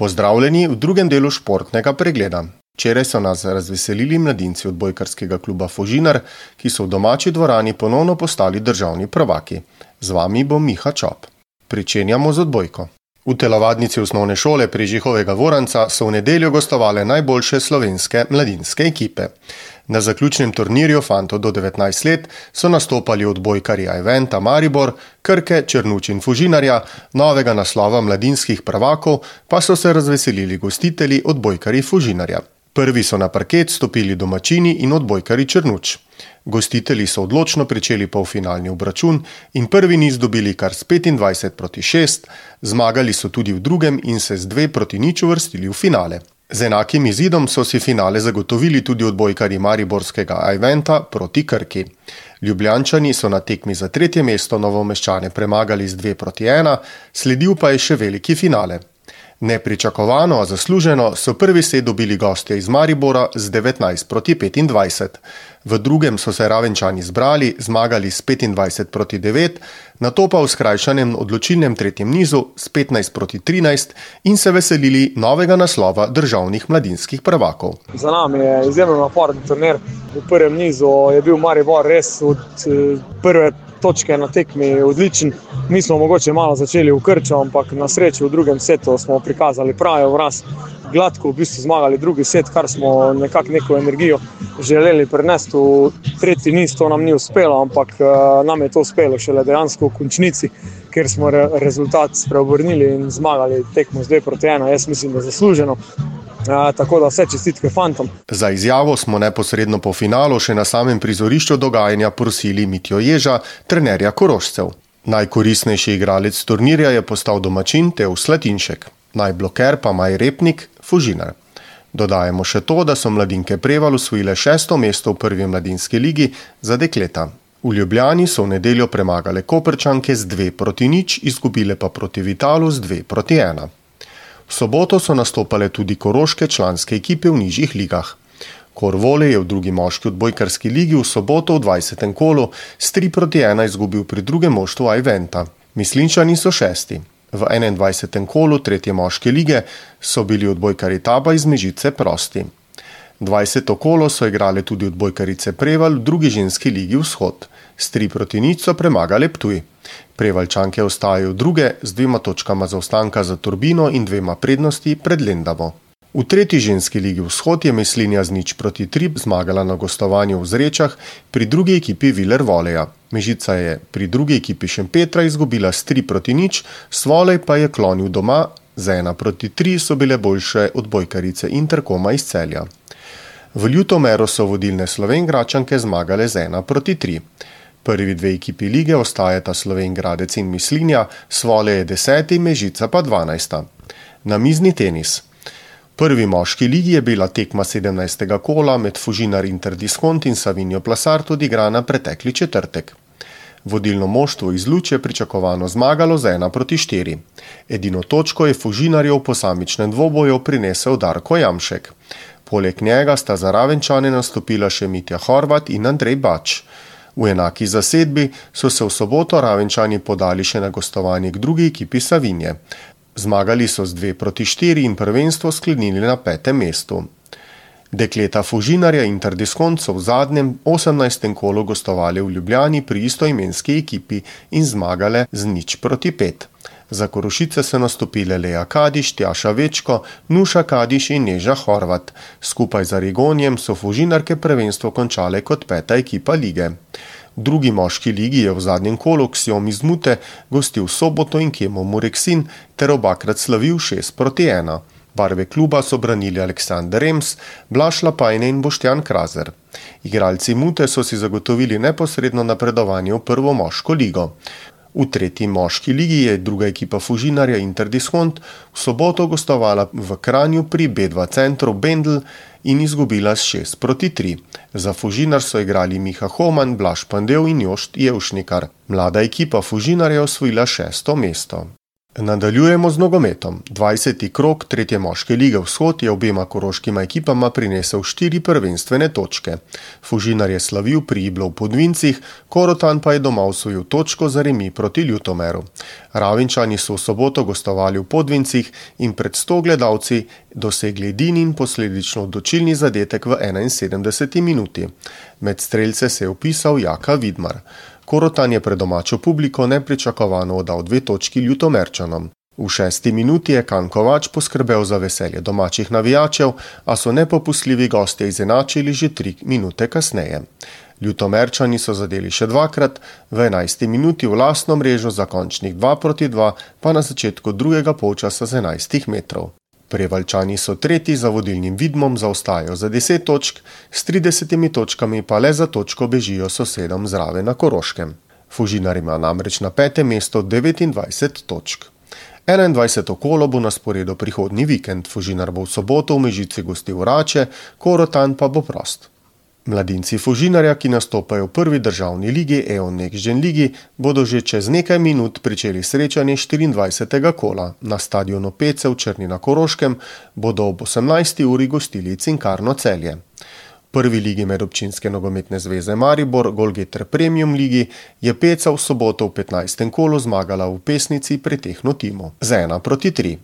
Pozdravljeni v drugem delu športnega pregleda. Včeraj so nas razveselili mladinci odbojkarskega kluba Fužinar, ki so v domači dvorani ponovno postali državni prvaki. Z vami bo Miha Čop. Pričenjamo z odbojko. V telovadnici osnovne šole Prežihovega Voranca so v nedeljo gostovale najboljše slovenske mladinske ekipe. Na zaključnem turnirju fantov do 19 let so nastopali odbojkarji Ajventa Maribor, Krke, Črnuč in Fužinarja, novega naslova mladinskih prvakov pa so se razveselili gostitelji odbojkarji Fužinarja. Prvi so na parket stopili domačini in odbojkarji Črnuč. Gostitelji so odločno pričeli polfinalni obračun in prvi niz dobili kar s 25-6, zmagali so tudi v drugem in se z 2-0 uvrstili v finale. Z enakim izidom so si finale zagotovili tudi odbojkarji mariborskega Ajventa proti Krki. Ljubljančani so na tekmi za 3. mesto Novomeščane premagali z 2-1, sledil pa je še veliki finale. Nepričakovano, a zasluženo so prvi set dobili gostje iz Maribora z 19-25. V drugem so se Ravenčani zbrali, zmagali s 25-9, nato pa v skrajšanem odločilnem tretjem nizu s 15-13 in se veselili novega naslova državnih mladinskih prvakov. Za nami je izjemno naporen turnir. V prvem nizu je bil Maribor res od prve točke na tekmi odličen. Mi smo mogoče malo začeli v krču, ampak na srečo v drugem setu smo prikazali pravi obraz. Gladko v bistvu zmagali drugi set, kar smo nekako neko energijo želeli prenesti v tretji niz. To nam ni uspelo, ampak nam je to uspelo šele dejansko v končnici, ker smo rezultat spreobrnili in zmagali tekmo z 2-1. Jaz mislim, da zasluženo. Tako da vse čestitke fantom. Za izjavo smo neposredno po finalu še na samem prizorišču dogajanja prosili Mitjo Ježa, trenerja Korošcev. Najkoristnejši igralec turnirja je postal domačin Teo Slatinšek, najbloker pa Maj Repnik, Fužinar. Dodajemo še to, da so mladinke Preval osvojile 6. mesto v prvi mladinski ligi za dekleta. V Ljubljani so v nedeljo premagale Koprčanke z 2-0, izgubile pa proti Vitalu z 2-1. V soboto so nastopale tudi koroške članske ekipe v nižjih ligah. Korvole je v drugi moški odbojkarski ligi v soboto v 20. kolu s 3-1 izgubil pri drugem moštvu Ajventa. Mislinčani so 6. V 21. kolu tretje moške lige so bili odbojkarji Taba iz Mežice prosti. 20. kolo so igrale tudi odbojkarice Preval v drugi ženski ligi Vzhod. S 3-0 so premagale Ptuj. Prevalčanke ostajajo druge z 2 točkama zaostanka za Turbino in 2 prednosti pred Lendavo. V tretji ženski ligi Vzhod je Mislinja z 0-3 zmagala na gostovanju v Zrečah pri drugi ekipi Viler Voleja. Mežica je pri drugi ekipi Šempetra izgubila s 3-0, Svolej pa je klonil doma, z 1-3 so bile boljše odbojkarice Interkoma iz Celja. V Ljutomeru so vodilne Slovenjgračanke zmagale z 1-3. Prvi 2 ekipi lige ostajata Slovenjgradec in Mislinja, Svolej je 10., Mežica pa 12. Namizni tenis. V prvi moški ligi je bila tekma 17. kola med Fužinar Interdiskont in Savinjo Plasart odigrana pretekli četrtek. Vodilno moštvo iz Luč je pričakovano zmagalo z 1-4. Edino točko je Fužinarjev v posamičnem dvoboju prinesel Darko Jamšek. Poleg njega sta za Ravenčane nastopila še Mitja Horvat in Andrej Bač. V enaki zasedbi so se v soboto Ravenčani podali še na gostovanje k drugi ekipi Savinje. Zmagali so z 2-4 in prvenstvo sklenili na 5. mestu. Dekleta Fužinarja Interdiskont so v zadnjem 18. kolu gostovali v Ljubljani pri istoimenski ekipi in zmagale z 0-5. Za Korošice so nastopile Lea Kadiš, Tjaša Večko, Nuša Kadiš in Neža Horvat. Skupaj z Arigonjem so Fužinarke prvenstvo končale kot 5. ekipa lige. V drugi moški ligi je v zadnjem kolu Ksiom iz Mute gostil Soboto in Kemo Mureksin ter obakrat slavil 6-1. Barve kluba so branili Aleksander Rems, Blaž Lapajne in Boštjan Krazer. Igralci Mute so si zagotovili neposredno napredovanje v prvo moško ligo. V tretji moški ligi je druga ekipa Fužinarja Interdiskont v soboto gostovala v Kranju pri B2 centru Bendl in izgubila s 6-3. Za Fužinar so igrali Miha Homan, Blaž Pandev in Jošt Jevšnikar. Mlada ekipa Fužinarja je osvojila 6. mesto. Nadaljujemo z nogometom. 20. krog 3. moške lige Vzhod je obema koroškima ekipama prinesel 4 prvenstvene točke. Fužinar je slavil pri Iblu v Podvincih, Korotan pa je doma osvojil točko za remi proti Ljutomeru. Ravenčani so v soboto gostovali v Podvincih in pred 100 gledalci dosegli edini in posledično odločilni zadetek v 71. minuti. Med strelce se je vpisal Jaka Vidmar. Korotan je pred domačo publiko nepričakovano oddal 2 točki Ljutomerčanom. V 6. minuti je Kan Kovač poskrbel za veselje domačih navijačev, a so nepopustljivi gostje izenačili že 3 minute kasneje. Ljutomerčani so zadeli še 2-krat, v 11. minuti v lastno mrežo za končnih 2-2, pa na začetku drugega polčasa z 11 metrov. Prevaljčani so tretji za vodilnim Vidmom zaostajajo za 10 točk, s 30 točkami pa le za točko bežijo sosedom zraven na Koroškem. Fužinar ima namreč na 5. mesto 29 točk. 21. kolo bo na sporedu prihodnji vikend, Fužinar bo v soboto v Mežici gostil Rače, Korotan pa bo prost. Mladinci Fužinarja, ki nastopajo v prvi državni ligi EON Next Gen ligi, bodo že čez nekaj minut pričeli srečanje 24. kola. Na stadionu Pece v Črni na Koroškem bodo ob 18. uri gostili Cinkarno Celje. V prvi ligi Medobčinske nogometne zveze Maribor, Golgeter Premium ligi, je Peca v soboto v 15. kolu zmagala v Pesnici pri Tehnotimu z 1-3.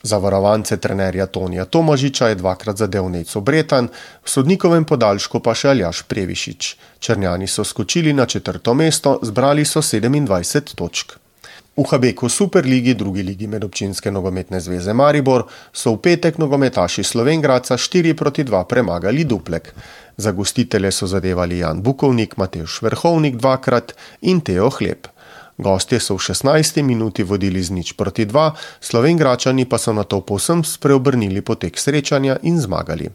Zavarovance trenerja Tonija Tomažiča je 2-krat zadel Nejco Bretan, v sodnikovem podaljšku pa še Aljaž Previšič. Črnjani so skočili na 4. mesto, zbrali so 27 točk. V Habeku Superligi, drugi ligi Medobčinske nogometne zveze Maribor, so v petek nogometaši Slovenj Gradca 4-2 premagali Duplek. Za gostitelje so zadevali Jan Bukovnik, Matevž Verhovnik 2-krat in Teo Hleb. Gostje so v 16. minuti vodili z 0-2, Slovenjgračani pa so nato povsem spreobrnili potek srečanja in zmagali.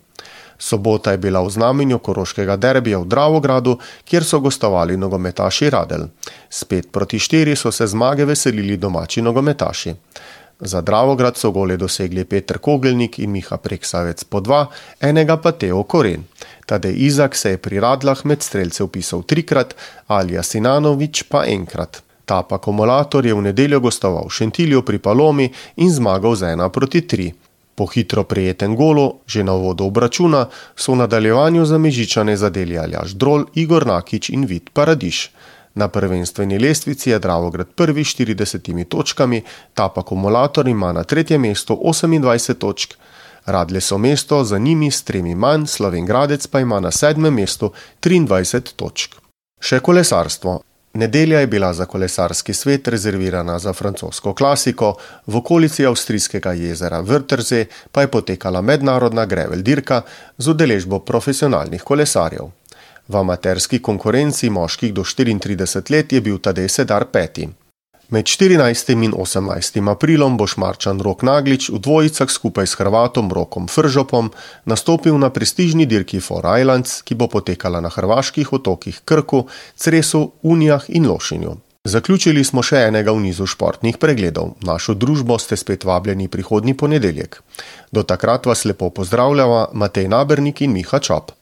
Sobota je bila v znamenju koroškega derbija v Dravogradu, kjer so gostovali nogometaši Radelj. S 5-4 so se zmage veselili domači nogometaši. Za Dravograd so gole dosegli Peter Kogelnik in Miha Preksavec po 2, enega pa Teo Koren. Tadej Izak se je pri Radlah med strelce vpisal 3-krat, Alija Sinanovič pa 1-krat. Tap Akumulator je v nedeljo gostoval v Šentilju pri Palomi in zmagal z 1-3. Po hitro prejetem golu, že na uvodu obračuna, so v nadaljevanju za Mežičane zadeli Aljaž Drol, Igor Nakič in Vid Paradiš. Na prvenstveni lestvici je Dravograd prvi 40 točkami, Tap Akumulator ima na 3. mestu 28 točk, Radlje so mesto za njimi s 3 manj, Slovenj Gradec pa ima na 7. mestu 23 točk. Še kolesarstvo. Nedelja je bila za kolesarski svet rezervirana za francosko klasiko, v okolici avstrijskega jezera Wörthersee pa je potekala mednarodna gravel dirka z udeležbo profesionalnih kolesarjev. V amaterski konkurenci moških do 34 let je bil Tadej Sedar 5. Med 14. in 18. aprilom bo Šmarčan Rok Naglič v dvojicah skupaj s Hrvatom Rokom Fržopom nastopil na prestižni dirki Four Islands, ki bo potekala na hrvaških otokih Krku, Cresu, Unijah in Lošinju. Zaključili smo še enega v nizu športnih pregledov. Našo družbo ste spet vabljeni prihodnji ponedeljek. Do takrat vas lepo pozdravljava Matej Nabernik in Miha Čop.